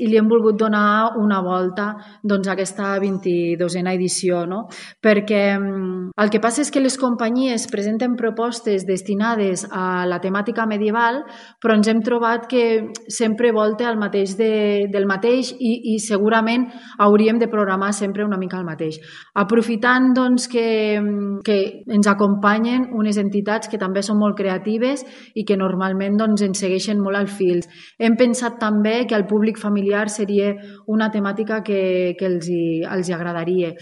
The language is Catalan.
i li hem volgut donar una volta a aquesta 22a edició, no? Perquè el que passa és que les companyies presenten propostes destinades a la temàtica medieval, però ens hem trobat que sempre volta al mateix del mateix i segurament hauríem de programar sempre una mica el mateix. Aprofitant que ens acompanyen unes entitats que també són molt creatives i que normalment ens segueixen molt al fil. Hem pensat també que al públic familiar seria una temàtica que els agradaria.